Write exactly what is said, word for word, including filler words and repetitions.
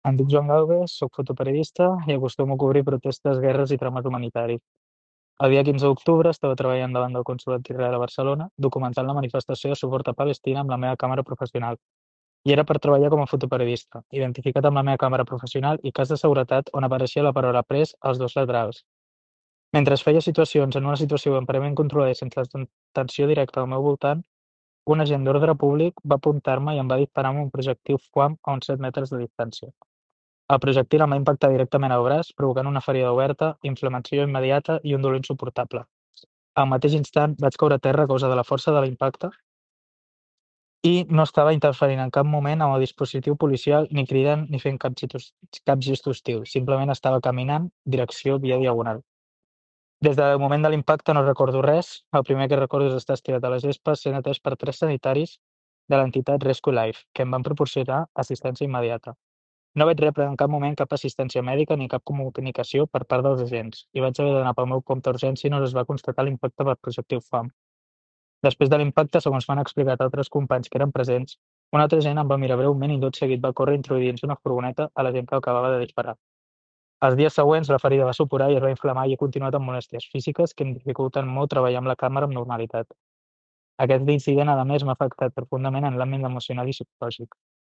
Em dic Joan Galvez, soc fotoperiodista i acostumo a cobrir protestes, guerres i drames humanitaris. El dia quinze d'octubre estava treballant davant del Consolat d'Israel a Barcelona, documentant la manifestació de suport a Palestina amb la meva càmera professional. I era per treballar com a fotoperiodista, identificat amb la meva càmera professional i cas de seguretat on apareixia la paraula pres als dos laterals. Mentre es feia situacions en una situació aparentment controlada i sense tensió directa al meu voltant, un agent d'ordre públic va apuntar-me i em va disparar amb un projectil FUAM a uns set metres de distància. El projectil em va impactar directament al braç, provocant una ferida oberta, inflamació immediata i un dolor insuportable. Al mateix instant vaig caure a terra a causa de la força de l'impacte i no estava interferint en cap moment amb el dispositiu policial, ni cridant ni fent cap, gest, cap gest hostil. Simplement estava caminant, direcció via diagonal. Des del moment de l'impacte no recordo res. El primer que recordo és estar estirat a les vespes sent atès per tres sanitaris de l'entitat Rescue Life, que em van proporcionar assistència immediata. No vaig rebre en cap moment cap assistència mèdica ni cap comunicació per part dels agents i vaig haver d'anar pel meu compte a urgència i no es va constatar l'impacte per projectil FAM. Després de l'impacte, segons m'han explicat altres companys que eren presents, un altre agent em va mirar breument i tot seguit va córrer introduint una furgoneta a la gent que acabava de disparar. Els dies següents la ferida va supurar i es va inflamar i he continuat amb molèsties físiques que em dificulten molt treballar amb la càmera amb normalitat. Aquest incident, a més, m'ha afectat profundament en l'àmbit emocional i psicològic.